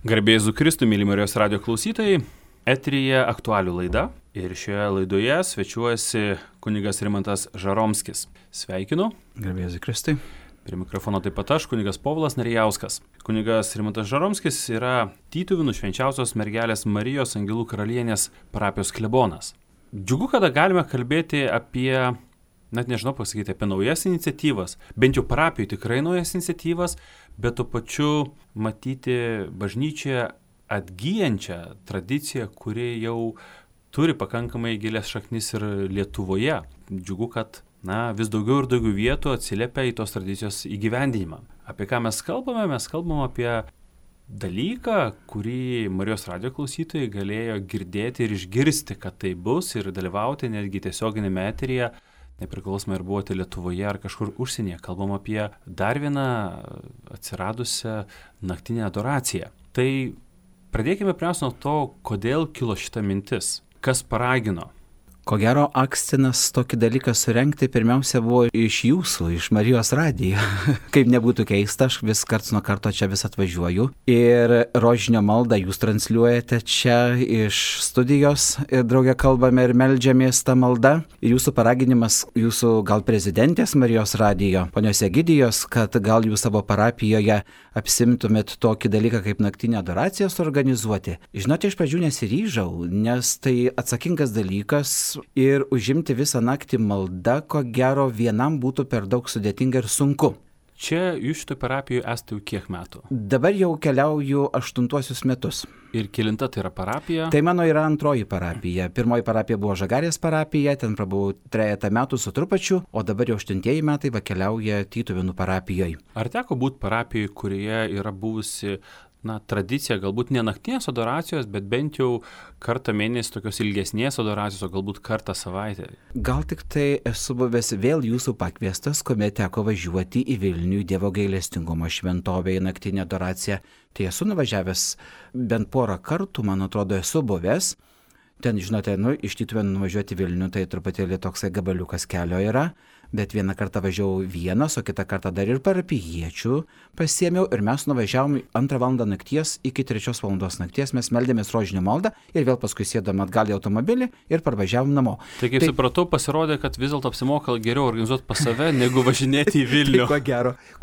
Garbė Jėzui Kristui, myli Marijos radijo klausytojai, eteryje aktualių laida ir šioje laidoje svečiuojasi kunigas Rimantas Žaromskis. Sveikinu. Garbė Jėzui Kristui. Prie mikrofono taip pat aš, kunigas Povilas Narijauskas. Kunigas Rimantas Žaromskis yra Tytuvėnų Švenčiausios mergelės Marijos Angelų karalienės parapijos klebonas. Džiugu, kada galime kalbėti apie, net nežinau pasakyti, apie naujas iniciatyvas, bent jau parapijų tikrai naujas iniciatyvas, bet tuo pačiu matyti bažnyčioje atgyjančią tradiciją, kuri jau turi pakankamai gilias šaknis ir Lietuvoje. Džiugu, kad vis daugiau ir daugiau vietų atsiliepia į tos tradicijos įgyvendinimą. Apie ką mes kalbame? Mes kalbame apie dalyką, kurį Marijos radijo klausytojai galėjo girdėti ir išgirsti, kad tai bus ir dalyvauti netgi tiesioginėme eteryje, nepriklausomai ar buvote Lietuvoje ar kažkur užsienyje. Kalbam apie dar vieną atsiradusią naktinę adoraciją. Tai pradėkime pirmiausia nuo to, kodėl kilo šita mintis, kas paragino. Ko gero, akstinas tokį dalyką surengti pirmiausia buvo iš jūsų, iš Marijos radijo. Kaip nebūtų keista, aš vis karts nuo karto čia vis atvažiuoju. Ir rožinio maldą jūs transliuojate čia iš studijos ir draugė kalbame ir meldžiamės tą maldą. Ir jūsų paraginimas, jūsų gal prezidentės Marijos radijo, ponios Egidijos, kad gal jūs savo parapijoje apsimtumėt tokį dalyką kaip naktinę adoraciją suorganizuoti. Žinote, iš pradžių nesiryžau, nes tai atsakingas dalykas. Ir užimti visą naktį maldą, ko gero vienam būtų per daug sudėtinga ir sunku. Čia jūs šitoj parapijoje esate jau kiek metų? Dabar jau keliauju 8 metus. Ir kelinta tai yra parapija? Tai mano yra antroji parapija. Pirmoji parapija buvo Žagarės parapija, ten prabuvau 3 metų su trupačiu, o dabar jau 8 metai keliauja Tytuvėnų parapijoje. Ar teko būti parapijoje, kurioje yra buvusi tradicija, galbūt ne naktinės adoracijos, bet bent jau kartą mėnesį tokios ilgesnės adoracijos, o galbūt kartą savaitę? Gal tik tai esu buvęs vėl jūsų pakviestas, kuomet teko važiuoti į Vilnių Dievo gailestingumo šventovę į naktinę adoraciją. Tai esu nuvažiavęs bent porą kartų, man atrodo, esu buvęs. Ten, žinote, iš Tytuvėnų nuvažiuoti į Vilnių, tai truputėlį toksai gabaliukas kelio yra, bet vieną kartą važiavau vienas, o kitą kartą dar ir parapijiečių pasiėmiau ir mes nuvažiavom 2 valandą nakties iki 3 valandos nakties, mes meldėmės rožinio maldą ir vėl paskui sėdom atgal į automobilį ir parvažiavom namo. Tai kaip supratau, pasirodė, kad vis dėlto apsimoka geriau organizuoti pas save, negu važinėti į Vilnių. Tai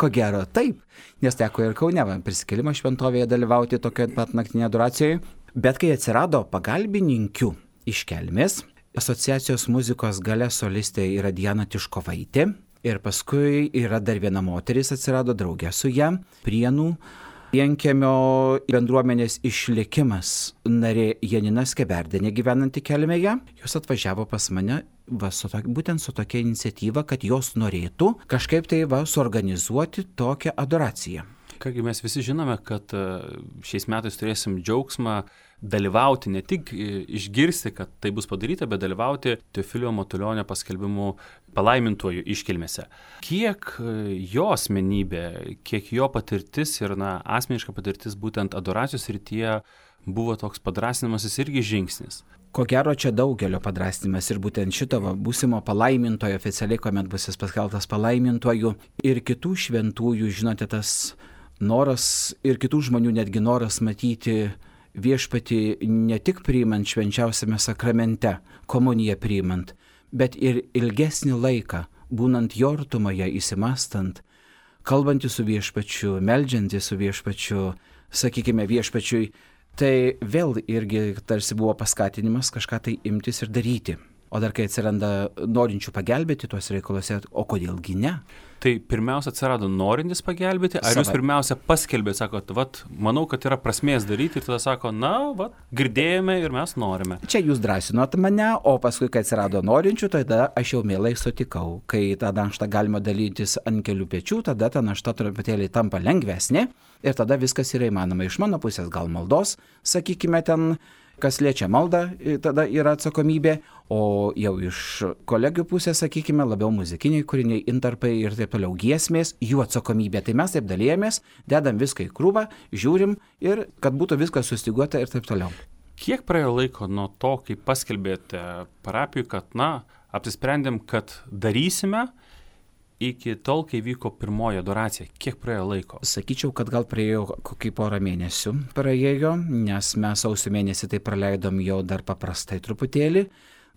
ko gero, taip, nes teko ir Kaune prisikėlimo šventovėje dalyvauti tokioje pat naktinėje adoracijoje. Bet kai atsirado pagalbininkių iš Kelmės, asociacijos muzikos gale solistė yra Diana Tiškovaitė ir paskui yra dar viena moteris atsirado draugė su ją, Prienų vienkiemio bendruomenės išlikimas narė Janina Skeberdienė gyvenanti Kelmėje. Jos atvažiavo pas mane būtent su tokia iniciatyva, kad jos norėtų kažkaip tai suorganizuoti tokią adoraciją. Kągi mes visi žinome, kad šiais metais turėsim džiaugsmą dalyvauti, ne tik išgirsti, kad tai bus padaryta, bet dalyvauti Teofilio Matulionio paskelbimų palaimintuoju iškilmėse. Kiek jo asmenybė, kiek jo patirtis ir asmeniška patirtis būtent adoracijos srityje buvo toks padrąsinimasis irgi žingsnis? Ko gero čia daugelio padrąsinimas ir būtent šito būsimo palaimintojo oficialiai, kuomet bus jis paskelbtas palaimintuoju ir kitų šventųjų, žinote, tas noras ir kitų žmonių netgi noras matyti viešpatį ne tik priimant švenčiausiame sakramente, komuniją priimant, bet ir ilgesnį laiką, būnant jo artumoje, įsimastant, kalbantį su viešpačiu, meldžiantį su viešpačiu, sakykime viešpačiui, tai vėl irgi tarsi buvo paskatinimas kažką tai imtis ir daryti. O dar kai atsiranda norinčių pagelbėti tuos reikaluose, o kodėlgi ne? Tai pirmiausia atsirado norintis pagelbėti, ar jūs pirmiausia paskelbėt, sakot, manau, kad yra prasmės daryti ir tada sako, girdėjome ir mes norime. Čia jūs drąsinot mane, o paskui, kai atsirado norinčių, tada aš jau mielai sutikau. Kai tą naštą galima dalytis ant kelių pečių, tada ta našta truputėlį tampa lengvesnė ir tada viskas yra įmanoma. Iš mano pusės gal maldos, sakykime ten, kas liečia maldą, tada yra atsakomybė, o jau iš kolegių pusės, sakykime, labiau muzikiniai kūriniai, intarpai ir taip toliau giesmės, jų atsakomybė. Tai mes taip dalėjomės, dedam viską į krūvą, žiūrim ir kad būtų viskas sustyguota ir taip toliau. Kiek praėjo laiko nuo to, kai paskelbėte parapijų, kad, apsisprendėm, kad darysime iki tol, kai vyko pirmoji adoracija? Kiek praėjo laiko? Sakyčiau, kad gal praėjo kokį porą mėnesių praėjo, nes mes sausio mėnesį tai praleidom jau dar paprastai truputėlį.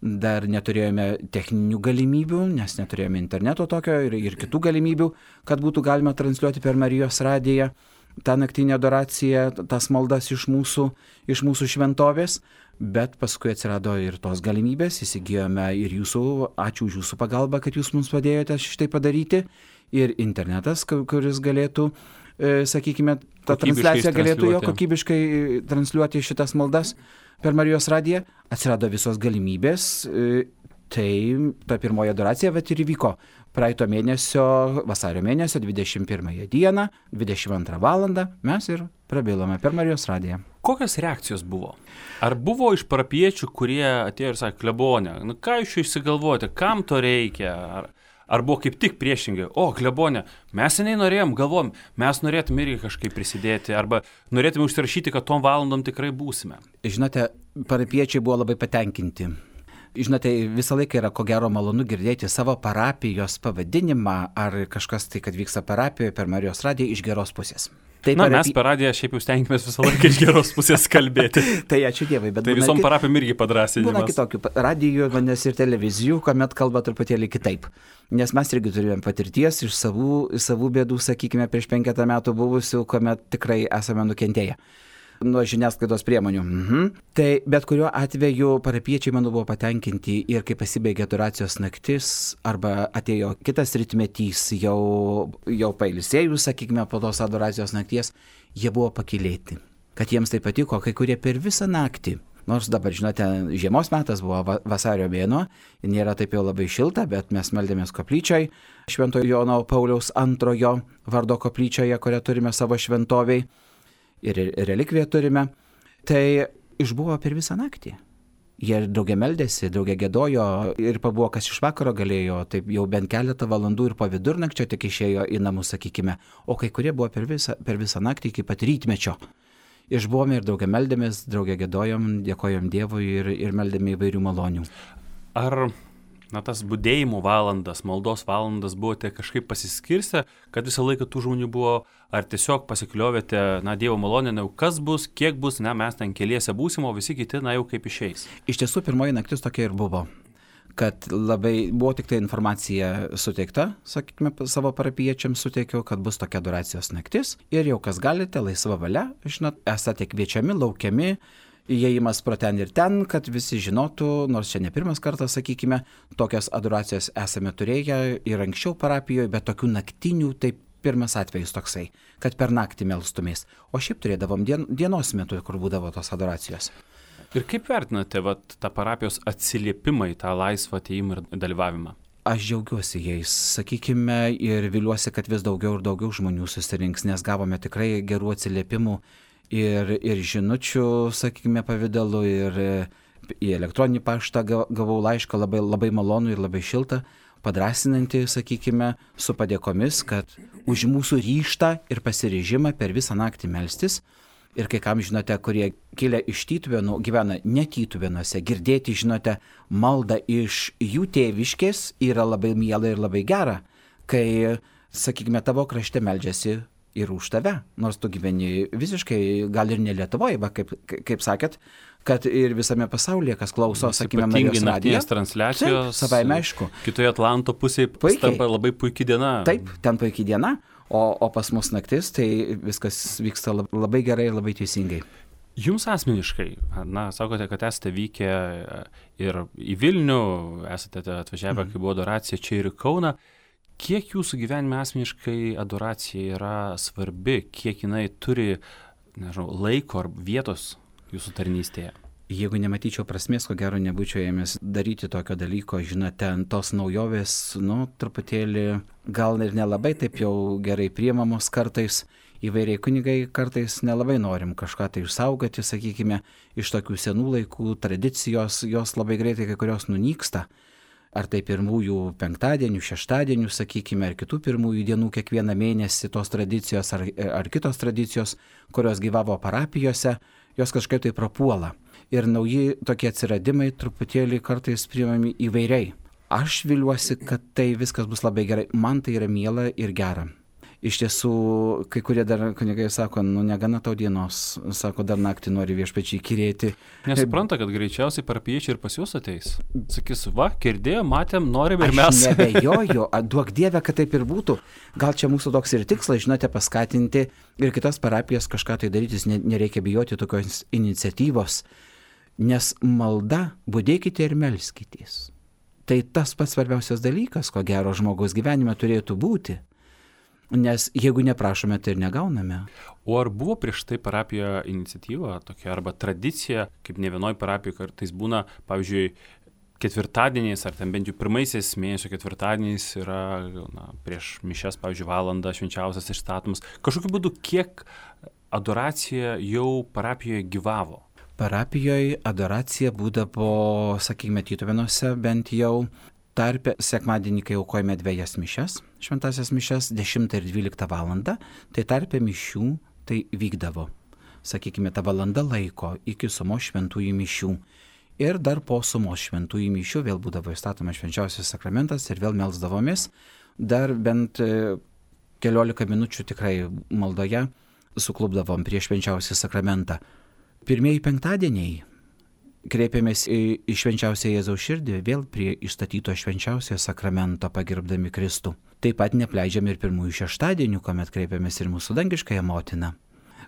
Dar neturėjome techninių galimybių, nes neturėjome interneto tokio ir kitų galimybių, kad būtų galima transliuoti per Marijos radiją tą naktinę adoraciją, tas maldas iš mūsų šventovės. Bet paskui atsirado ir tos galimybės, įsigijome ir ačiū už jūsų pagalbą, kad jūs mums padėjote šitai padaryti, ir internetas, kuris galėtų, sakykime, ta transliacija galėtų jo kokybiškai transliuoti šitas maldas per Marijos radiją. Atsirado visos galimybės, tai ta pirmoji adoracija ir įvyko praeito mėnesio, vasario mėnesio 21 dieną, 22 valandą mes ir prabilome per Marijos radiją. Kokios reakcijos buvo? Ar buvo iš parapiečių, kurie atėjo ir sakė, klebone, ką jūs išsigalvojate, kam to reikia? Ar buvo kaip tik priešingai, klebone, mes seniai galvojom, mes norėtume irgi kažkaip prisidėti, arba norėtume užsirašyti, kad tom valandom tikrai būsime? Žinote, parapiečiai buvo labai patenkinti. Žinote, visą laiką yra ko gero malonu girdėti savo parapijos pavadinimą ar kažkas tai, kad vyksta parapijoje per Marijos radiją iš geros pusės. Mes per radiją šiaip jau stengiamės visą laiką iš geros pusės kalbėti. Tai ačiū Dievui. Bet tai visom parapijom irgi padrąsinimas. Būna kitokių radijų, vandens ir televizijų, kuomet kalba truputėlį kitaip. Nes mes irgi turėjome patirties iš savų bėdų, sakykime, prieš 5 metų buvusių, kuomet tikrai esame nukentėję nuo žiniasklaidos priemonių. Tai bet kuriuo atveju parapiečiai, manau, buvo patenkinti ir kai pasibaigė adoracijos naktis arba atėjo kitas rytmetys, jau pailsėjus, sakykime, po tos adoracijos nakties, jie buvo pakylėti. Kad jiems tai patiko, kai kurie per visą naktį. Nors dabar, žinote, žiemos metas buvo vasario mėnuo, nėra taip jau labai šilta, bet mes meldėmės koplyčioj, Šventojo Jono Pauliaus II vardo koplyčioje, kurią turime savo šventoviai. Ir relikviją turime, tai išbuvo per visą naktį. Jie drauge meldėsi, drauge giedojo ir pabuvo, kas iš vakaro galėjo, taip jau bent keletą valandų ir po vidurnakčio tik išėjo į namus, sakykime, o kai kurie buvo per visą naktį iki pat rytmečio. Išbuvome ir drauge meldėmės, drauge giedojom, dėkojom Dievui ir meldėme įvairių malonių. Ar tas budėjimo valandas, maldos valandas buvote kažkaip pasiskirstę, kad visą laiką tų žmonių buvo, ar tiesiog pasikliovėte, Dievo malonė, kas bus, kiek bus, mes ten keliese būsim, o visi kiti, jau kaip išeis? Iš tiesų, pirmoji naktis tokia ir buvo, kad labai buvo tik tai informacija suteikta, sakykime, savo parapiečiams suteikiau, kad bus tokia adoracijos naktis ir jau kas galite, laisva valia, žinot, esate kviečiami, laukiami, įėjimas pro ten ir ten, kad visi žinotų, nors čia ne pirmas kartas, sakykime, tokias adoracijos esame turėję ir anksčiau parapijoje, bet tokių naktinių, tai pirmas atvejis toksai, kad per naktį melstumės. O šiaip turėdavom dienos metu, kur būdavo tos adoracijos. Ir kaip vertinate tą parapijos atsiliepimą į tą laisvą atėjimą ir dalyvavimą? Aš džiaugiuosi jais, sakykime, ir viliuosi, kad vis daugiau ir daugiau žmonių susirinks, nes gavome tikrai gerų atsiliepimų. Ir žinučių, sakykime, pavidalu, ir į elektroninį paštą gavau laišką labai malonų ir labai šiltą, padrąsinantį, sakykime, su padėkomis, kad už mūsų ryžtą ir pasiryžimą per visą naktį melstis. Ir kai kam, žinote, kurie kilę iš Tytuvėnų, gyvena ne Tytuvėnuose, girdėti, žinote, maldą iš jų tėviškės yra labai miela ir labai gera, kai, sakykime, tavo krašte meldžiasi ir už tave, nors tu gyveni visiškai, gal ir ne Lietuvoje, kaip sakėt, kad ir visame pasaulyje, kas klauso, sakykime, Marijos radiją. Naktinės transliacijos, savaime aišku. Kitoje Atlanto pusėje tampa labai puikia diena. Taip, ten puikia diena, o pas mus naktis, tai viskas vyksta labai gerai ir labai teisingai. Jums asmeniškai, sakote, kad esate vykę ir į Vilnių, esate atvažiavę, kai buvo adoracija čia ir į Kauną. Kiek jūsų gyvenime asmeniškai adoracija yra svarbi, kiek jinai turi, laiko ar vietos jūsų tarnystėje? Jeigu nematyčiau prasmės, ko gero nebūčiau ėmęs daryti tokio dalyko, žinote, tos naujovės, truputėlį gal ir nelabai taip jau gerai priimamos kartais, įvairiai kunigai kartais nelabai norim kažką tai išsaugoti, sakykime, iš tokių senų laikų tradicijos, jos labai greitai kai kurios nunyksta. Ar tai pirmųjų penktadienių, šeštadienių, sakykime, ar kitų pirmųjų dienų kiekvieną mėnesį tos tradicijos ar kitos tradicijos, kurios gyvavo parapijose, jos kažkaip tai prapuola. Ir nauji tokie atsiradimai truputėlį kartais priimami įvairiai. Aš viliuosi, kad tai viskas bus labai gerai. Man tai yra miela ir gera. Iš tiesų, kai kurie dar kunigai sako, negana tau dienos, sako, dar naktį nori viešpačiai įkyrėti. Nesupranta, kad greičiausiai parapiečiai ir pas jūs ateis. Sakys, va, girdėjom, matėm, norim ir mes. Aš nebejoju, duok Dieve, kad taip ir būtų. Gal čia mūsų toks ir tikslas, žinote, paskatinti ir kitas parapijas kažką tai darytis, nereikia bijoti tokios iniciatyvos, nes malda, budėkite ir melskitės. Tai tas pats svarbiausias dalykas, ko gero žmogaus gyvenime turėtų būti. Nes jeigu neprašome, tai ir negauname. O ar buvo prieš tai parapijoje iniciatyva tokia arba tradicija, kaip ne vienoj parapijoje kartais būna, pavyzdžiui, ketvirtadieniais ar ten bent jau pirmaisiais mėnesio ketvirtadieniais yra prieš mišias, pavyzdžiui, valandą švenčiausias išstatomas. Kažkokiu būdu, kiek adoracija jau parapijoje gyvavo? Parapijoje adoracija būdavo, sakykime, Tytuvėnuose bent jau tarpe sekmadienį, kai aukojame 2 mišias, šventasias mišias, 10 ir 12 valandą, tai tarpe mišių tai vykdavo. Sakykime, ta valanda laiko iki sumos šventųjų mišių. Ir dar po sumos šventųjų mišių vėl būdavo įstatomas švenčiausias sakramentas ir vėl melsdavomės. Dar bent 15 minučių tikrai maldoje suklubdavom prie švenčiausią sakramentą. Pirmieji penktadieniai kreipėmės į švenčiausią Jėzaus širdį, vėl prie išstatyto švenčiausiojo sakramento pagerbdami Kristų. Taip pat nepleidžiam ir pirmųjų šeštadienių, kuomet kreipėmės ir mūsų dangiškąją motiną,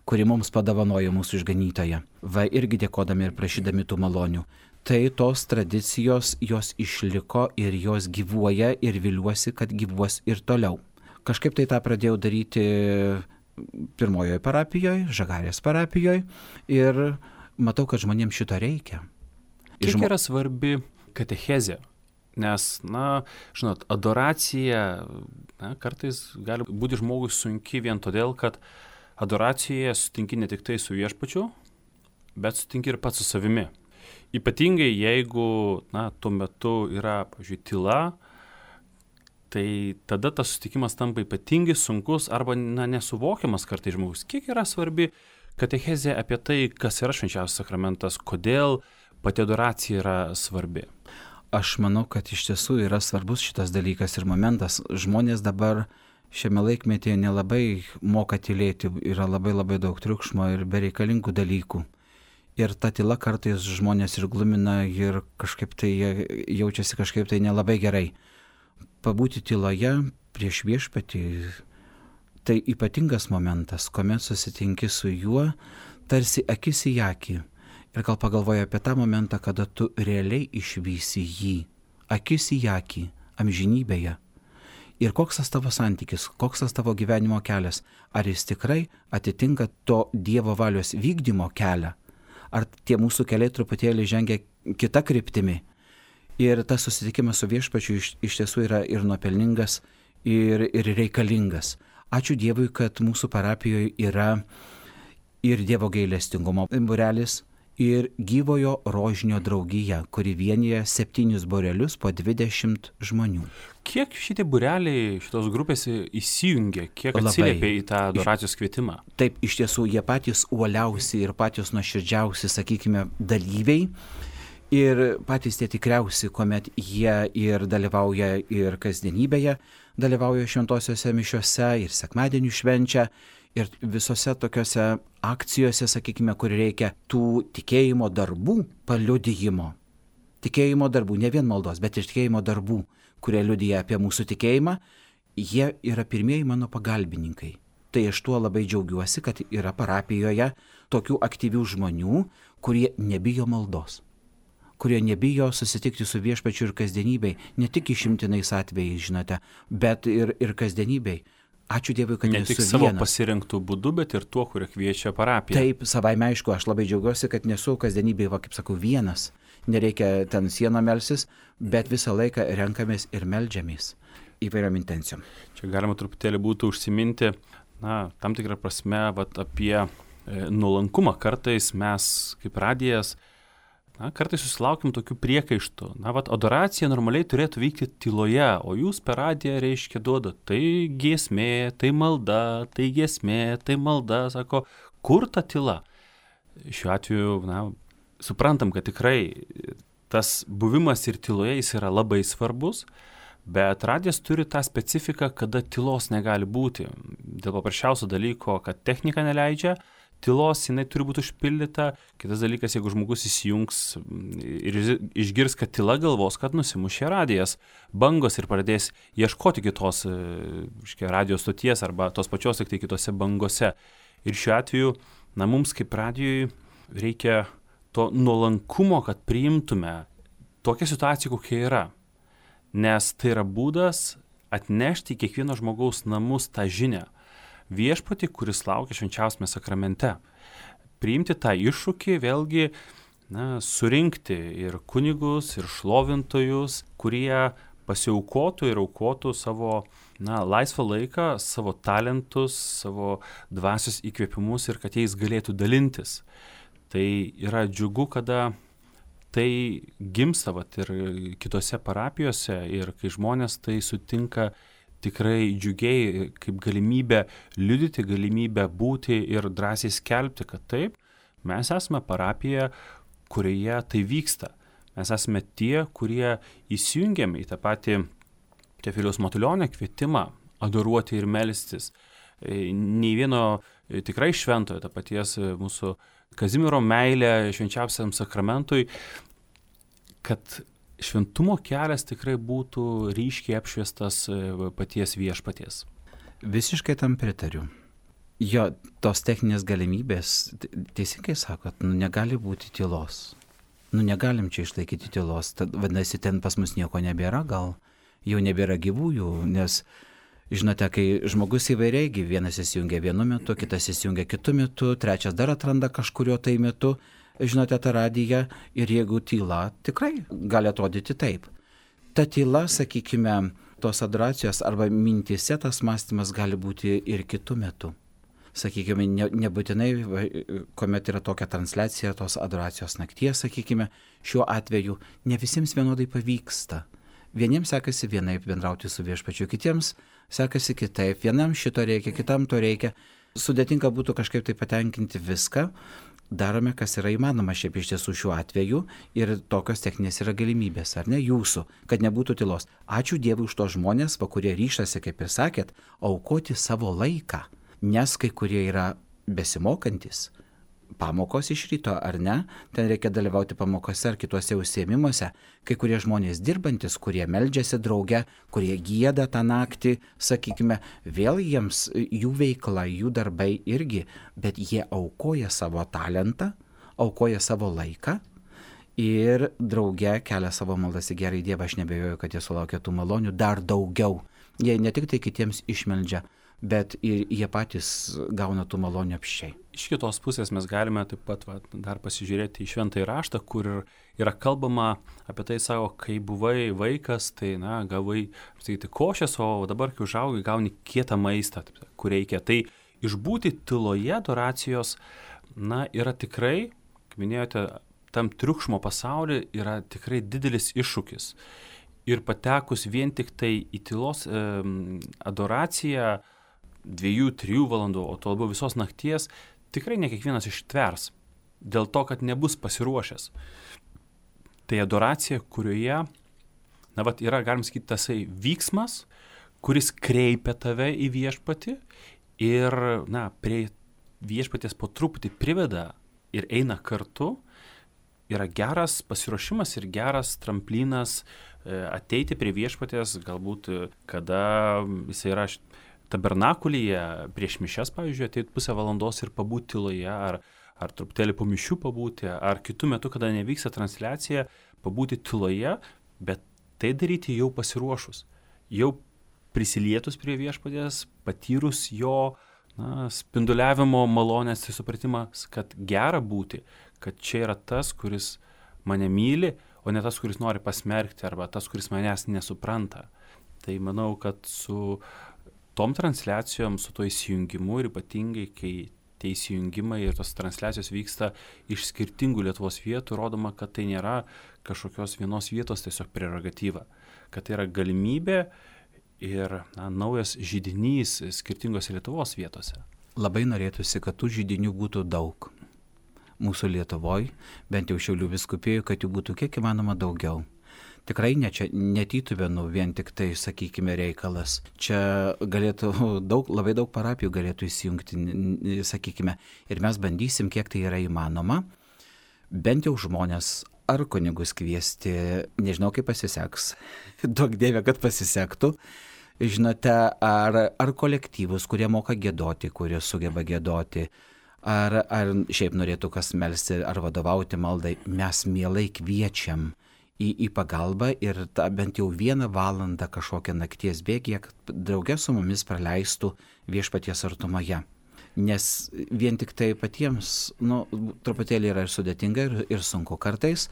kuri mums padovanojo mūsų išganytoją. Va irgi dėkodami ir prašydami tų malonių. Tai tos tradicijos, jos išliko ir jos gyvuoja ir viliuosi, kad gyvuos ir toliau. Kažkaip tai tą pradėjau daryti pirmojoje parapijoje, Žagarės parapijoje ir matau, kad žmonėms šito reikia. Kiek yra svarbi katechezė? Nes, žinot, adoracija kartais gali būti žmogui sunki vien todėl, kad adoracijoje sutinki ne tik tai su viešpačiu, bet sutinki ir pats su savimi. Ypatingai jeigu, tuo metu yra, pavyzdžiui, tyla, tai tada tas susitikimas tampa ypatingai sunkus arba nesuvokiamas kartais žmogus. Kiek yra svarbi katechezė apie tai, kas yra švenčiausias sakramentas, kodėl pati adoracija yra svarbi? Aš manau, kad iš tiesų yra svarbus šitas dalykas ir momentas. Žmonės dabar šiame laikmetyje nelabai moka tylėti, yra labai daug triukšmo ir bereikalingų dalykų. Ir ta tyla kartais žmonės ir glumina ir kažkaip tai jaučiasi kažkaip tai nelabai gerai. Pabūti tyloje prieš viešpatį tai ypatingas momentas, kuomet susitinki su juo tarsi akis į akį. Ir gal pagalvoji apie tą momentą, kada tu realiai išvysi jį, akis į akį, amžinybėje. Ir koks tas tavo santykis, koks tas tavo gyvenimo kelias, ar jis tikrai atitinka to Dievo valios vykdymo kelią, ar tie mūsų keliai truputėlį žengia kita kryptimi. Ir tas susitikimas su viešpačiu iš tiesų yra ir nuopelningas, ir reikalingas. Ačiū Dievui, kad mūsų parapijoje yra ir Dievo gailestingumo būrelis, ir gyvojo rožinio draugija, kuri vienyje 7 būrelius po 20 žmonių. Kiek šitie būreliai, šitos grupės įsijungia, kiek atsiliepia į tą adoracijos kvietimą? Taip, iš tiesų, jie patys uoliausi ir patys nuoširdžiausi, sakykime, dalyviai. Ir patys tie tikriausi, kuomet jie ir dalyvauja ir kasdienybėje, dalyvauja šventosiuose mišiuose ir sekmadienių švenčia. Ir visose tokiose akcijose, sakykime, kur reikia tų tikėjimo darbų paliudijimo. Tikėjimo darbų, ne vien maldos, bet ir tikėjimo darbų, kurie liudija apie mūsų tikėjimą, jie yra pirmieji mano pagalbininkai. Tai aš tuo labai džiaugiuosi, kad yra parapijoje tokių aktyvių žmonių, kurie nebijo maldos, kurie nebijo susitikti su viešpačiu ir kasdienybei, ne tik išimtinais atvejais, žinote, bet ir kasdienybei. Ačiū Dievui, kad ne nesu tik savo vienas. Pasirinktų būdų, bet ir tuo, kurie kviečia parapiją. Taip, savaime aišku, aš labai džiaugiuosi, kad nesu kasdienybėje, kaip sakau, vienas. Nereikia ten sieną melsis, bet visą laiką renkamės ir meldžiamės įvairiom intencijom. Čia galima truputėlį būtų užsiminti, tam tikrą prasme, apie nuolankumą. Kartais mes, kaip radijas, kartais susilaukim tokių priekaištų. Adoracija normaliai turėtų vykti tyloje, o jūs per radiją reiškia duoda. Tai giesmė, tai malda, tai giesmė, tai malda. Sako, kur ta tyla? Šiuo atveju, suprantam, kad tikrai tas buvimas ir tyloje jis yra labai svarbus, bet radijas turi tą specifiką, kada tylos negali būti. Dėl paprasčiausio dalyko, kad technika neleidžia, tylos jinai turi būti užpildyta. Kitas dalykas, jeigu žmogus įsijungs ir išgirs, kad tyla, galvos, kad nusimušė radijas, bangos ir pradės ieškoti kitos radijos stoties arba tos pačios, tik tai kitose bangose. Ir šiuo atveju, mums kaip radijui reikia to nuolankumo, kad priimtume tokią situaciją, kokia yra. Nes tai yra būdas atnešti į kiekvieno žmogaus namus tą žinią. Viešpatį, kuris laukia švenčiausiame sakramente. Priimti tą iššūkį, vėlgi, surinkti ir kunigus, ir šlovintojus, kurie pasiaukotų ir aukotų savo laisvą laiką, savo talentus, savo dvasios įkvėpimus ir kad jais galėtų dalintis. Tai yra džiugu, kada tai gimsta ir kitose parapijose ir kai žmonės tai sutinka tikrai džiugiai kaip galimybę liudyti, galimybę būti ir drąsiai skelbti, kad taip, mes esame parapija, kurioje tai vyksta. Mes esame tie, kurie įsijungiame į tą patį Teofiliaus Matulionio kvietimą adoruoti ir melstis. Nei vieno tikrai šventojo, to paties mūsų Kazimiero meilė švenčiausiam sakramentui, kad šventumo kelias tikrai būtų ryškiai apšviestas paties viešpaties. Visiškai tam pritariu. Jo, tos techninės galimybės, teisingai sakot, negali būti tylos. Negalim čia išlaikyti tylos. Tad, vadinasi, ten pas mus nieko nebėra, gal jau nebėra gyvųjų, nes, žinote, kai žmogus įvairiai, vienas įsijungia vienu metu, kitas įsijungia kitu metu, trečias dar atranda kažkurio tai metu, žinote, tą radiją, ir jeigu tyla, tikrai gali atrodyti taip. Ta tyla, sakykime, tos adoracijos arba mintise tas mąstymas gali būti ir kitu metu. Sakykime, nebūtinai, kuomet yra tokia transliacija tos adoracijos nakties, sakykime, šiuo atveju ne visiems vienodai pavyksta. Vieniems sekasi vienaip bendrauti su viešpačiu, kitiems sekasi kitaip, vienam šito reikia, kitam to reikia. Sudėtinga būtų kažkaip tai patenkinti viską. Darome, kas yra įmanoma šiaip iš tiesų šiuo atveju ir tokios techninės yra galimybės, ar ne, jūsų, kad nebūtų tylos. Ačiū Dievui už tos žmonės, kurie ryšasi, kaip ir sakėt, aukoti savo laiką, nes kai kurie yra besimokantis. Pamokos iš ryto, ar ne, ten reikia dalyvauti pamokose ar kituose užsiėmimuose, kai kurie žmonės dirbantis, kurie meldžiasi drauge, kurie gieda tą naktį, sakykime, vėl jiems jų veikla, jų darbai irgi, bet jie aukoja savo talentą, aukoja savo laiką ir drauge kelia savo maldas į gerąjį Dievą. Aš nebejoju, kad jie sulaukia tų malonių dar daugiau. Jie ne tik tai kitiems išmeldžia, bet ir jie patys gauna tų malonių apsčiai. Iš kitos pusės mes galime taip pat dar pasižiūrėti į šventąjį raštą, kur yra kalbama apie tai, savo, kai buvai vaikas, tai gavai košės, o dabar, kai užaugai, gauni kietą maistą, kur reikia. Tai išbūti tyloje adoracijos, yra tikrai, kaip minėjote, tam triukšmo pasaulyje yra tikrai didelis iššūkis. Ir patekus vien tik tai į tylos adoraciją 2-3 valandų, o to labiau visos nakties, tikrai ne kiekvienas ištvers, dėl to, kad nebus pasiruošęs. Tai adoracija, kurioje, yra, galim sakyti, tasai vyksmas, kuris kreipia tave į viešpatį ir, prie viešpaties po truputį priveda ir eina kartu, yra geras pasiruošimas ir geras tramplinas ateiti prie viešpaties, galbūt kada jis yra tabernakulyje prieš mišias, pavyzdžiui, ateit pusę valandos ir pabūti tyloje, ar truputėlį po mišių pabūti, ar kitų metų, kada nevyksta transliacija, pabūti tyloje, bet tai daryti jau pasiruošus, jau prisilietus prie viešpaties, patyrus jo spinduliavimo malonės ir supratimas, kad gera būti, kad čia yra tas, kuris mane myli, o ne tas, kuris nori pasmerkti, arba tas, kuris manęs nesupranta. Tai manau, kad su tom transliacijom, su to įsijungimu ir ypatingai, kai tie įsijungimai ir tos transliacijos vyksta iš skirtingų Lietuvos vietų, rodoma, kad tai nėra kažkokios vienos vietos tiesiog prerogatyva, kad tai yra galimybė ir naujas židinys skirtingose Lietuvos vietose. Labai norėtųsi, kad tų židinių būtų daug. mūsų Lietuvoje, bent jau Šiaulių vyskupijų, kad jų būtų kiek įmanoma daugiau. Tikrai ne čia netytuvėnų vien tik tai, sakykime, reikalas. Čia galėtų labai daug parapijų galėtų įsijungti, sakykime, ir mes bandysim, kiek tai yra įmanoma, bent jau žmonės ar kunigus kviesti, nežinau kaip pasiseks, duok Dieve, kad pasisektų, žinote, ar kolektyvus, kurie moka giedoti, kurie sugeba giedoti, ar šiaip norėtų kas melsti, ar vadovauti maldai, mes mielai kviečiam į pagalbą ir bent jau 1 valandą kažkokią nakties bėgį, kad drauge su mumis praleistų viešpaties artumoje. Nes vien tik tai patiems, truputėlį yra ir sudėtinga ir sunku kartais,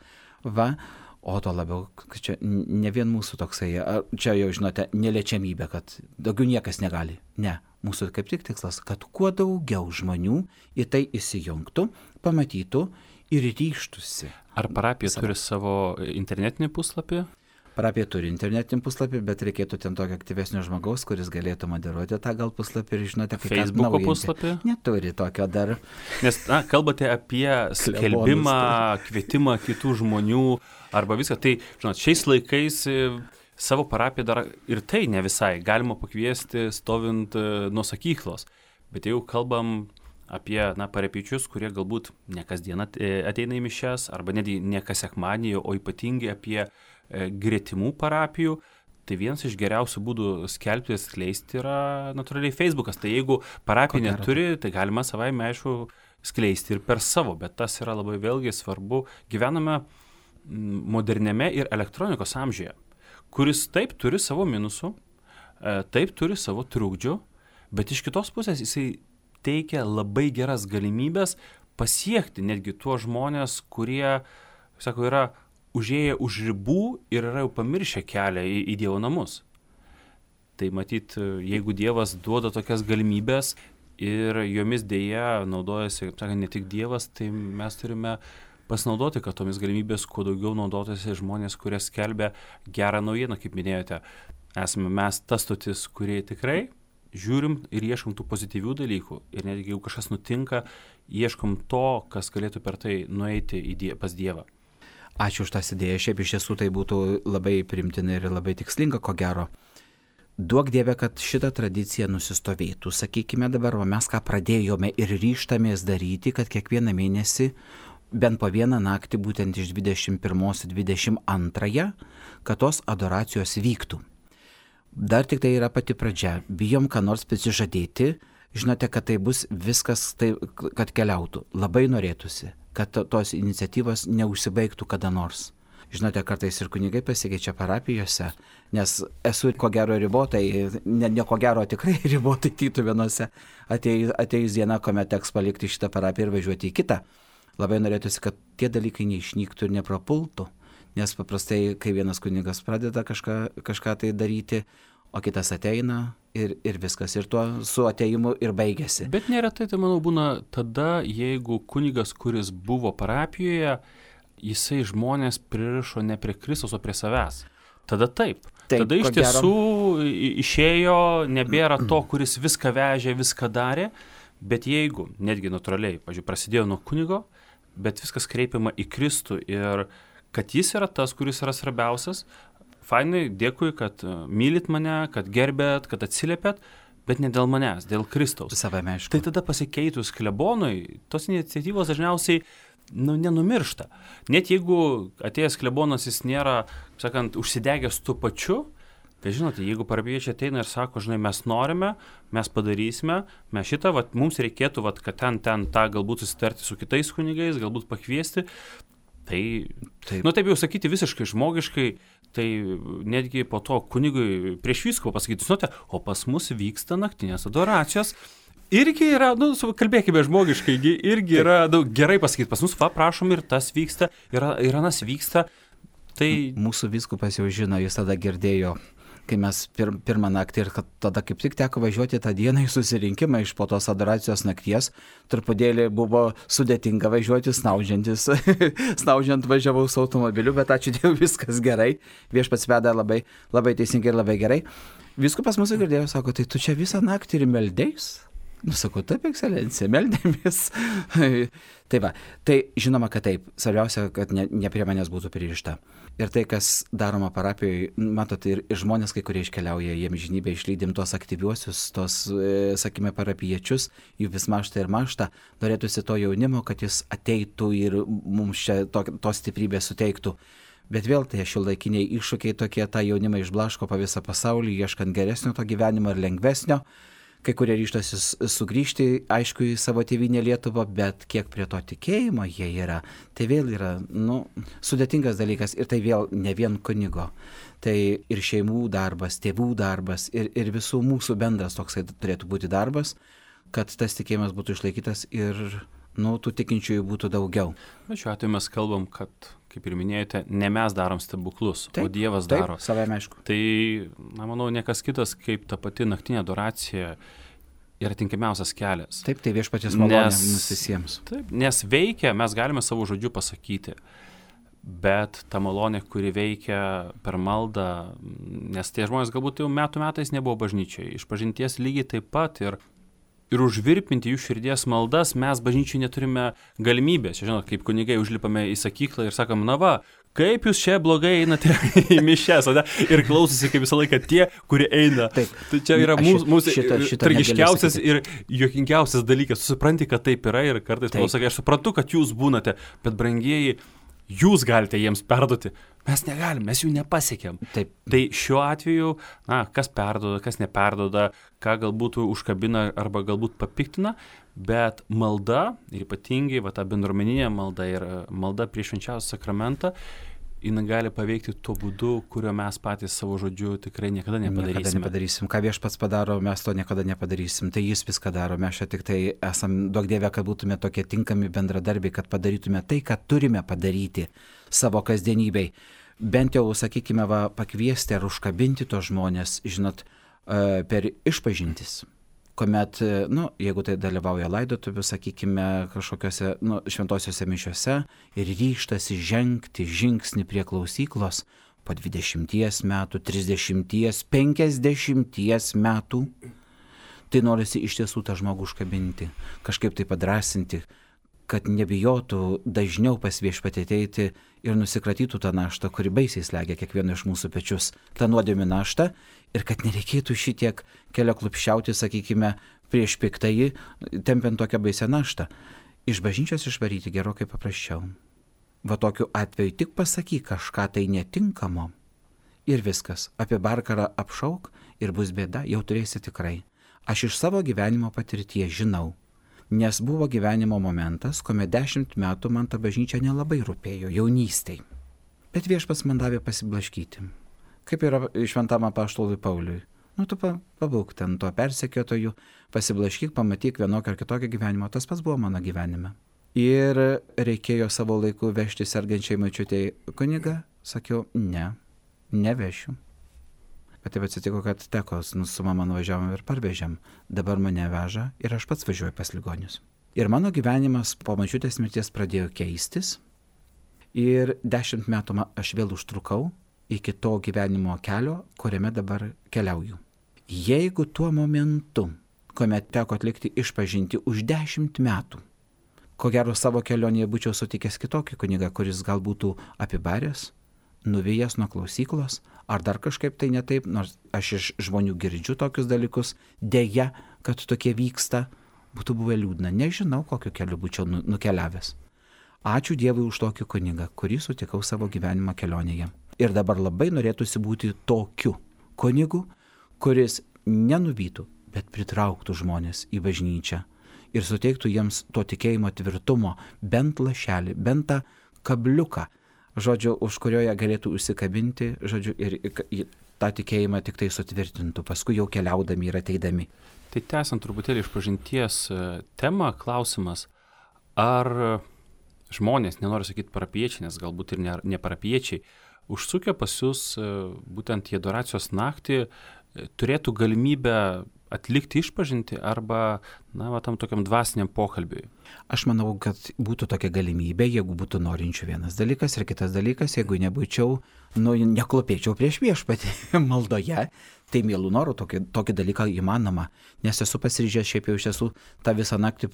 o to labiau, kad čia ne vien mūsų toksai, čia jau žinote, neliečiamybė, kad daugiau niekas negali. Ne, mūsų kaip tik tikslas, kad kuo daugiau žmonių į tai įsijungtų, pamatytų ir ryžtųsi. Ar parapija turi savo internetinį puslapį? Parapija turi internetinį puslapį, bet reikėtų ten tokio aktyvesnio žmogaus, kuris galėtų moderuoti tą gal puslapį ir žinote, kaip Facebook'o puslapį? Neturi tokio dar. Nes kalbate apie skelbimą, kvietimą kitų žmonių arba viską. Tai, žinot, šiais laikais savo parapiją dar ir tai ne visai galima pakviesti stovint nuo sakyklos. Bet jau kalbam apie parapijiečius, kurie galbūt ne kasdien ateina į mišias arba netgi ne kas sekmadienį, o ypatingai apie gretimų parapijų. Tai vienas iš geriausių būdų skelbti ir skleisti yra natūraliai Facebookas. Tai jeigu parapija neturi, tai galima savaime aišku skleisti ir per savo, bet tas yra labai vėlgi svarbu. Gyvename moderniame ir elektronikos amžiuje, kuris taip turi savo minusų, taip turi savo trukdžių, bet iš kitos pusės jisai teikia labai geras galimybės pasiekti netgi tuos žmonės, kurie, sako, yra užėję už ribų ir yra jau pamiršę kelią į Dievo namus. Tai matyt, jeigu Dievas duoda tokias galimybės ir jomis dėja naudojasi, kaip sakant, ne tik Dievas, tai mes turime pasinaudoti, kad tomis galimybės kuo daugiau naudotųsi žmonės, kurie skelbia gerą naujieną, kaip minėjote. Esame mes tas stotis, kurie tikrai žiūrim ir ieškom tų pozityvių dalykų. Ir netgi jeigu kažkas nutinka, ieškom to, kas galėtų per tai nueiti pas Dievą. Ačiū už tas idėjas. Šiaip iš tiesų tai būtų labai primtina ir labai tikslinga, ko gero. Duok Dieve, kad šita tradicija nusistovėtų. Sakykime dabar, mes ką pradėjome ir ryžtamės daryti, kad kiekvieną mėnesį bent po 1 naktį, būtent iš 21 į 22, kad tos adoracijos vyktų. Dar tik tai yra pati pradžia. Bijom, ką nors prisižadėti. Žinote, kad tai bus viskas, kad keliautų. Labai norėtųsi, kad tos iniciatyvos neužsibaigtų kada nors. Žinote, kartais ir kunigai pasikeičia parapijose, nes esu ko gero ribotai, ne ko gero tikrai ribotai tytuvėnuose, atėjus diena, kuomet teks palikti šitą parapiją ir važiuoti į kitą. Labai norėtųsi, kad tie dalykai neišnyktų ir neprapultų. Nes paprastai, kai vienas kunigas pradeda kažką tai daryti, o kitas ateina ir viskas. Ir tuo su ateimu ir baigėsi. Bet neretai, tai manau, būna tada, jeigu kunigas, kuris buvo parapijoje, jisai žmonės pririšo ne prie Kristaus, o prie savęs. Tada taip. Tada iš tiesų išėjo, nebėra to, kuris viską vežė, viską darė. Bet jeigu, netgi natūraliai, pavyzdžiui, prasidėjo nuo kunigo, bet viskas kreipiama į Kristų ir kad jis yra tas, kuris yra svarbiausias. Fainai, dėkui, kad mylit mane, kad gerbėt, kad atsiliepėt, bet ne dėl manęs, dėl Kristaus. Savame, aišku. Tai tada pasikeitus klebonui, tos iniciatyvos dažniausiai nenumiršta. Net jeigu atėjęs klebonas jis nėra, sakant, užsidegęs tuo pačiu, tai žinote, jeigu parapijiečiai ateina ir sako, žinai, mes norime, mes padarysime, mes šitą, mums reikėtų, kad ten tą galbūt susitarti su kitais kunigais, galbūt pakviesti, tai, taip jau sakyti visiškai žmogiškai, tai netgi po to kunigui prieš vyskupą pasakyti, žinote, o pas mus vyksta naktinės adoracijos. Irgi yra, kalbėkime žmogiškai, irgi yra gerai pasakyti, pas mus prašom ir tas vyksta, ir anas vyksta. Tai mūsų vyskupas jau žino, jis tada girdėjo, kai mes pirmą naktį ir kad tada kaip tik teko važiuoti tą dieną į susirinkimą iš po tos adoracijos nakties, truputėlį buvo sudėtinga važiuoti, snaudžiant važiavau su automobiliu, bet ačiū Dievui, viskas gerai, viešpats veda labai, labai teisingai ir labai gerai. Vyskupas mūsų girdėjo, sako, tai tu čia visą naktį ir meldėjus? Sakau, taip, ekscelencija, meldėmės. Tai va, tai žinoma, kad taip, svarbiausia, kad ne prie manęs būtų pririšta. Ir tai, kas daroma parapijoje, matot, ir žmonės, kai kurie iškeliauja į amžinybę, išlydim tos aktyviuosius, tos, sakime, parapiečius, jų vis mašta ir mašta, norėtųsi to jaunimo, kad jis ateitų ir mums čia tos stiprybės suteiktų. Bet vėl tai šiuolaikiniai iššūkiai tokie, tą jaunimą išblaško po visą pasaulį, ieškant geresnio to gyvenimo ir lengvesnio. Kai kurie ryžtasi sugrįžti, aišku, į savo tėvynę Lietuvą, bet kiek prie to tikėjimo jie yra, tai vėl yra, sudėtingas dalykas ir tai vėl ne vien kunigo. Tai ir šeimų darbas, tėvų darbas ir visų mūsų bendras toksai turėtų būti darbas, kad tas tikėjimas būtų išlaikytas ir, tų tikinčiųjų būtų daugiau. Bet šiuo atveju mes kalbam, kad, kaip ir minėjote, ne mes darom stebuklus, taip, o Dievas daro. Taip, savame aišku. Tai, manau, niekas kitas kaip ta pati naktinė adoracija yra tinkamiausias kelias. Taip, tai viešpaties malonė mums visiems. Taip, nes veikia, mes galime savo žodžiu pasakyti, bet ta malonė, kuri veikia per maldą, nes tie žmonės galbūt jau metais nebuvo bažnyčioje, išpažinties lygiai taip pat ir užvirpinti jų širdies maldas mes bažnyčiai neturime galimybės. Žinot, kaip kunigai užlipame į sakyklą ir sakom, kaip jūs čia blogai einate į mišias, ir klausosi kaip visą laiką tie, kurie eina. Taip. Tai čia yra mūsų tragiškiausias ir juokingiausias dalykas. Supranti, kad taip yra ir kartais pasakai, aš suprantu, kad jūs būnate, bet brangieji, jūs galite jiems perduoti. Mes negalim, mes jų nepasiekėm. Taip. Tai šiuo atveju, kas perduoda, kas neperduoda, ką galbūt užkabina arba galbūt papiktina, bet malda, ir ypatingai ta bendruomeninė malda ir malda prieš švenčiausią sakramentą, jinai gali paveikti tuo būdu, kurio mes patys savo žodžiu tikrai niekada nepadarysim. Ką viešpats padaro, mes to niekada nepadarysim. Tai jis viską daro. Mes čia tik tai esam, duok Dieve, kad būtume tokie tinkami bendradarbiai, kad padarytume tai, ką turime padaryti savo kasdienybei. Bent jau, sakykime, pakviesti ar užkabinti tos žmonės, žinot, per išpažintis. Kuomet, jeigu tai dalyvauja laidotuvių, sakykime, kažkokiose šventosiuose mišiuose ir ryžtasi žengti žingsnį prie klausyklos po 20 metų, 30, 50 metų, tai norisi iš tiesų tą žmogų užkabinti, kažkaip tai padrasinti, kad nebijotų dažniau pas viešpatį ateiti ir nusikratytų tą naštą, kuri baisiai slegia kiekvieno iš mūsų pečius, tą nuodėmių naštą, ir kad nereikėtų šitiek kelio klupščiauti, sakykime, prieš piktąjį, tempiant tokią baisią naštą. Iš bažnyčios išvaryti gerokai paprasčiau. Tokiu atveju tik pasakyk kažką tai netinkamo ir viskas. Apie barkarą apšauk ir bus bėda, jau turėsi tikrai. Aš iš savo gyvenimo patirties žinau. Nes buvo gyvenimo momentas, kuomet 10 metų man ta bažnyčia nelabai rūpėjo, jaunystėj. Bet viešpats man davė pasiblaškyti. Kaip yra šventam apaštalui Pauliui. Tu pabūk ten to persekiotojų, pasiblaškyk, pamatyk vienokio ar kitokio gyvenimo. Tas pats buvo mano gyvenime. Ir reikėjo savo laiku vežti sergančiai močiutei kunigą. Sakiau, nevešiu. Bet taip atsitiko, kad teko, su mama nuvažiavom ir parvežėm. Dabar mane veža ir aš pats važiuoju pas ligonius. Ir mano gyvenimas po močiutės mirties pradėjo keistis. Ir 10 metų aš vėl užtrukau iki to gyvenimo kelio, kuriame dabar keliauju. Jeigu tuo momentu, kuomet teko atlikti išpažinti už 10 metų, ko gero savo kelionėje būčiau sutikęs kitokį kunigą, kuris gal būtų apibaręs, nuvijęs nuo klausyklos, ar dar kažkaip tai netaip, nors aš iš žmonių girdžiu tokius dalykus, deja, kad tokie vyksta, būtų buvę liūdna. Nežinau, kokiu keliu būčiau nukeliavęs. Ačiū Dievui už tokį kunigą, kurį sutikau savo gyvenimo kelionėje. Ir dabar labai norėtųsi būti tokiu kunigu, kuris nenuvytų, bet pritrauktų žmonės į bažnyčią ir suteiktų jiems to tikėjimo tvirtumo, bent lašelį, bent tą kabliuką, žodžiu, už kurioje galėtų užsikabinti, žodžiu, ir tą tikėjimą tik tai sutvirtintų, paskui jau keliaudami ir ateidami. Tai tęsiant truputėlį išpažinties temą, klausimas, ar žmonės, nenoriu sakyti parapiečiai, nes galbūt ir ne parapiečiai, užsukę pas jūs būtent į adoracijos naktį, turėtų galimybę atlikti išpažinti arba, tam tokiam dvasiniam pokalbiui? Aš manau, kad būtų tokia galimybė, jeigu būtų norinčių vienas dalykas ir kitas dalykas, jeigu nebūčiau, neklopėčiau prieš viešpatį maldoje, tai mielų norų tokį dalyką įmanoma, nes esu pasiryžęs šiaip jau iš tiesų tą visą naktį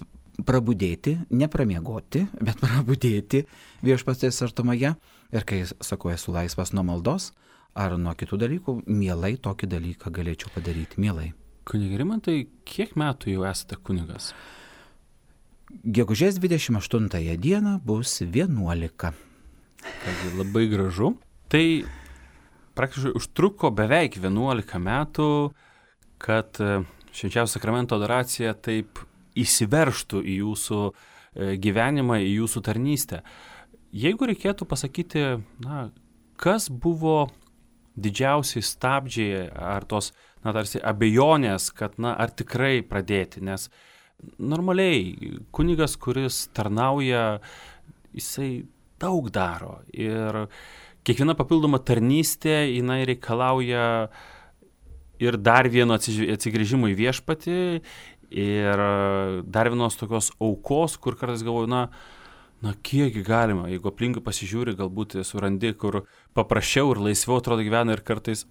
prabudėti, nepramiegoti, bet prabudėti viešpatės artumoje ir kai sakau, esu laisvas nuo maldos ar nuo kitų dalykų, mielai tokį dalyką galėčiau padaryti, mielai. Kunige Rimantai, kiek metų jau esate kunigas? Gegužės 28 dieną bus 11. Taigi labai gražu. Tai praktiškai užtruko beveik 11 metų, kad švenčiausio sakramento adoracija taip įsiveržtų į jūsų gyvenimą, į jūsų tarnystę. Jeigu reikėtų pasakyti, kas buvo didžiausiai stabdžiai ar tos, tarsi abejonės, kad, ar tikrai pradėti, nes normaliai kunigas, kuris tarnauja, jisai daug daro ir kiekviena papildoma tarnystė, jinai reikalauja ir dar vieno atsigrįžimo į viešpatį ir dar vienos tokios aukos, kur kartais galvoju, kiekgi galima, jeigu aplinkui pasižiūri, galbūt surandi, kur paprasčiau ir laisviau atrodo gyvena ir kartais,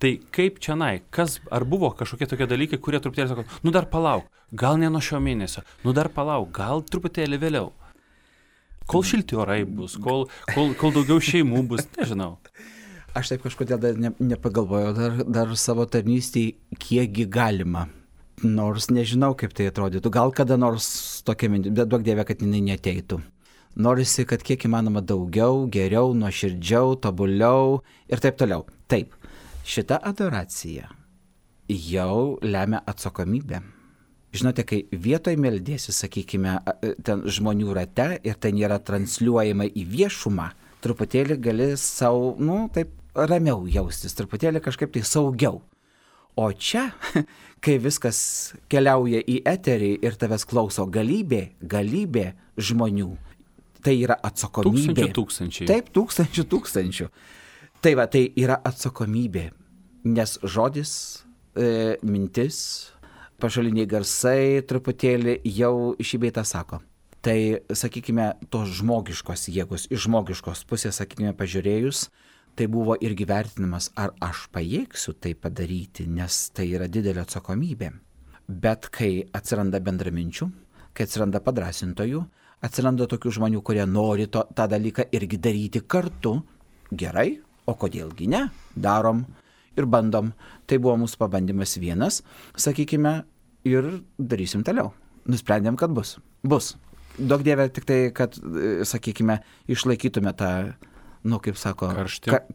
tai kaip čionai, ar buvo kažkokie tokie dalykai, kurie truputėlį sako, dar palauk, gal ne nuo šio mėnesio, dar palauk, gal truputėlį vėliau. Kol šilti orai bus, kol daugiau šeimų bus, nežinau. Aš taip kažkodėl dar nepagalvojau dar savo tarnystėje, kiekgi galima. Nors nežinau, kaip tai atrodytų. Gal kada nors tokia mintis, bet duok Dieve, kad jinai neteitų. Norisi, kad kiek įmanoma daugiau, geriau, nuoširdžiau, tobuliau ir taip toliau. Taip, šita adoracija jau lemia atsakomybę. Žinote, kai vietoj meldėsi, sakykime, ten žmonių rate ir tai nėra transliuojama į viešumą, truputėlį gali savo, taip ramiau jaustis, truputėlį kažkaip tai saugiau. O čia, kai viskas keliauja į eterį ir tavęs klauso galybė žmonių, tai yra atsakomybė. Tūkstančiai. Taip, tūkstančių. Tai va, tai yra atsakomybė, nes žodis, mintis, pašaliniai garsai truputėlį jau šį bei tą sako. Tai, sakykime, tos žmogiškos jėgos, iš žmogiškos pusės, sakykime, pažiūrėjus, tai buvo irgi vertinimas, ar aš pajėgsiu tai padaryti, nes tai yra didelė atsakomybė. Bet kai atsiranda bendraminčių, kai atsiranda padrasintojų, atsiranda tokių žmonių, kurie nori tą dalyką irgi daryti kartu, gerai, o kodėlgi ne, darom ir bandom. Tai buvo mūsų pabandymas vienas, sakykime, ir darysim toliau. Nusprendėm, kad bus. Duok Dieve tik tai, kad, sakykime, išlaikytume tą, kaip sako,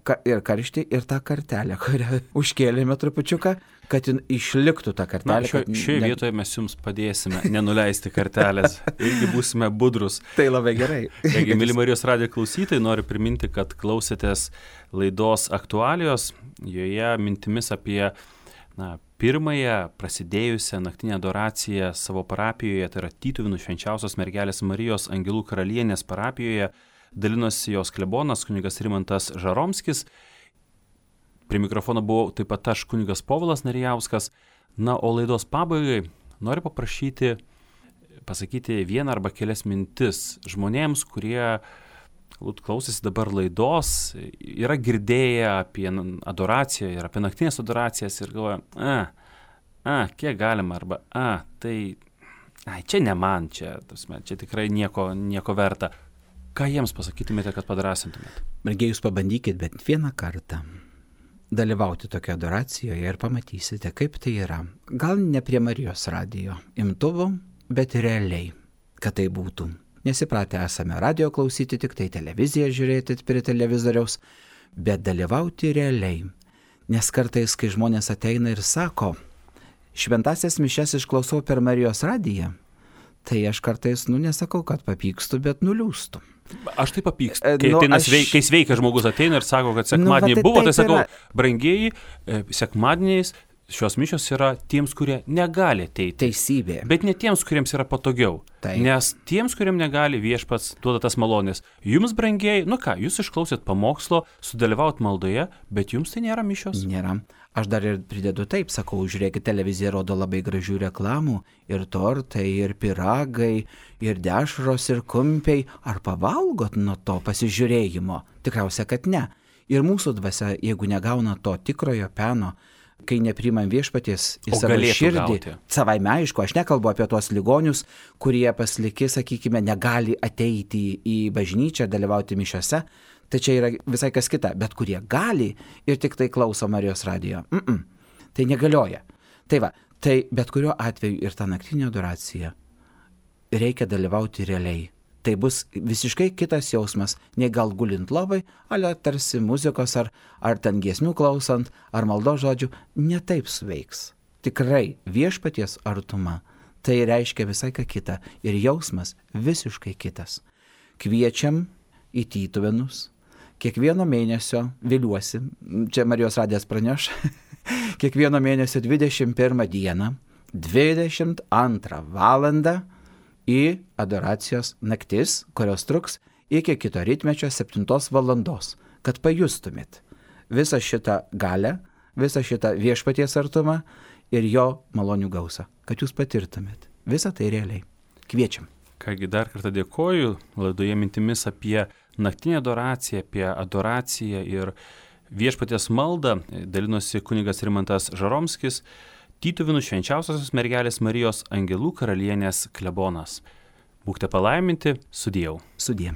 karštį ir tą kartelę, kurią užkėlėme trupučiuką, kad išliktų tą kartelę. Šioje vietoje mes jums padėsime nenuleisti kartelės, irgi būsime budrus. Tai labai gerai. Taigi, mėly Marijos radijo klausytojai, noriu priminti, kad klausėtės laidos aktualijos, joje mintimis apie pirmąją prasidėjusią naktinę adoraciją savo parapijoje, tai yra Tytuvėnų švenčiausios mergelės Marijos Angelų karalienės parapijoje, dalinosi jos klebonas kunigas Rimantas Žaromskis. Prie mikrofono buvau taip pat aš kunigas Povilas Narijauskas. O laidos pabaigai noriu paprašyti pasakyti vieną arba kelias mintis žmonėms, kurie klausėsi dabar laidos, yra girdėję apie adoraciją ir apie naktinės adoracijas ir galvoja, kiek galima, arba čia ne man, čia tikrai nieko verta. Ką jiems pasakytumėte, kad padrasintumėte? Mergiai, jūs pabandykit bent vieną kartą dalyvauti tokio adoracijoje ir pamatysite, kaip tai yra. Gal ne prie Marijos radijo imtuvo, bet realiai, kad tai būtų. Nesipratę esame radijo klausyti, tik tai televiziją žiūrėti prie televizoriaus, bet dalyvauti realiai. Nes kartais, kai žmonės ateina ir sako, šventasias mišias išklausau per Marijos radiją, tai aš kartais, nesakau, kad papykstu, bet nuliūstu. Aš tai papykstu. Kai sveikas žmogus ateina ir sako, kad sekmadienį buvo, tai sakau, brangieji, sekmadieniais šios mišios yra tiems, kurie negali ateiti. Teisybė. Bet ne tiems, kuriems yra patogiau. Taip. Nes tiems, kuriems negali, Viešpats duoda tas malonės. Jums, brangieji, jūs išklausėt pamokslo, sudalyvaut maldoje, bet jums tai nėra mišios. Nėra. Aš dar ir pridedu taip, sakau, žiūrėkit, televizija rodo labai gražių reklamų, ir tortai, ir piragai, ir dešros, ir kumpiai. Ar pavalgot nuo to pasižiūrėjimo? Tikriausia, kad ne. Ir mūsų dvasia, jeigu negauna to tikrojo peno, kai nepriimam Viešpaties į savo širdį, savaime aišku, aš nekalbu apie tuos ligonius, kurie pasliki, sakykime, negali ateiti į bažnyčią, dalyvauti mišiose, tai čia yra visai kas kita, bet kurie gali ir tik tai klauso Marijos radijo. Tai negalioja. Tai va, tai bet kuriuo atveju ir ta naktinė adoracija reikia dalyvauti realiai. Tai bus visiškai kitas jausmas, nei gal gulint lovai, ale tarsi muzikos ar ten giesmių klausant, ar maldos žodžių, ne taip suveiks. Tikrai Viešpaties artuma, tai reiškia visai ką kitą ir jausmas visiškai kitas. Kviečiam į Tytuvėnus, kiekvieno mėnesio, viliuosi, čia Marijos radijas praneš, kiekvieno mėnesio 21 dieną, 22 valandą, į adoracijos naktis, kurios truks iki kito rytmečio 7 valandos, kad pajustumėt visą šitą galę, visą šitą Viešpaties artumą ir jo malonių gausą, kad jūs patirtumėt visą tai realiai. Kviečiam. Kągi, dar kartą dėkoju, laidoje mintimis apie naktinę adoraciją, apie adoraciją ir Viešpaties maldą dalinosi kunigas Rimantas Žaromskis, Tytuvėnų švenčiausiosios mergelės Marijos Angelų karalienės klebonas. Būkite palaiminti, sudieu. Sudie.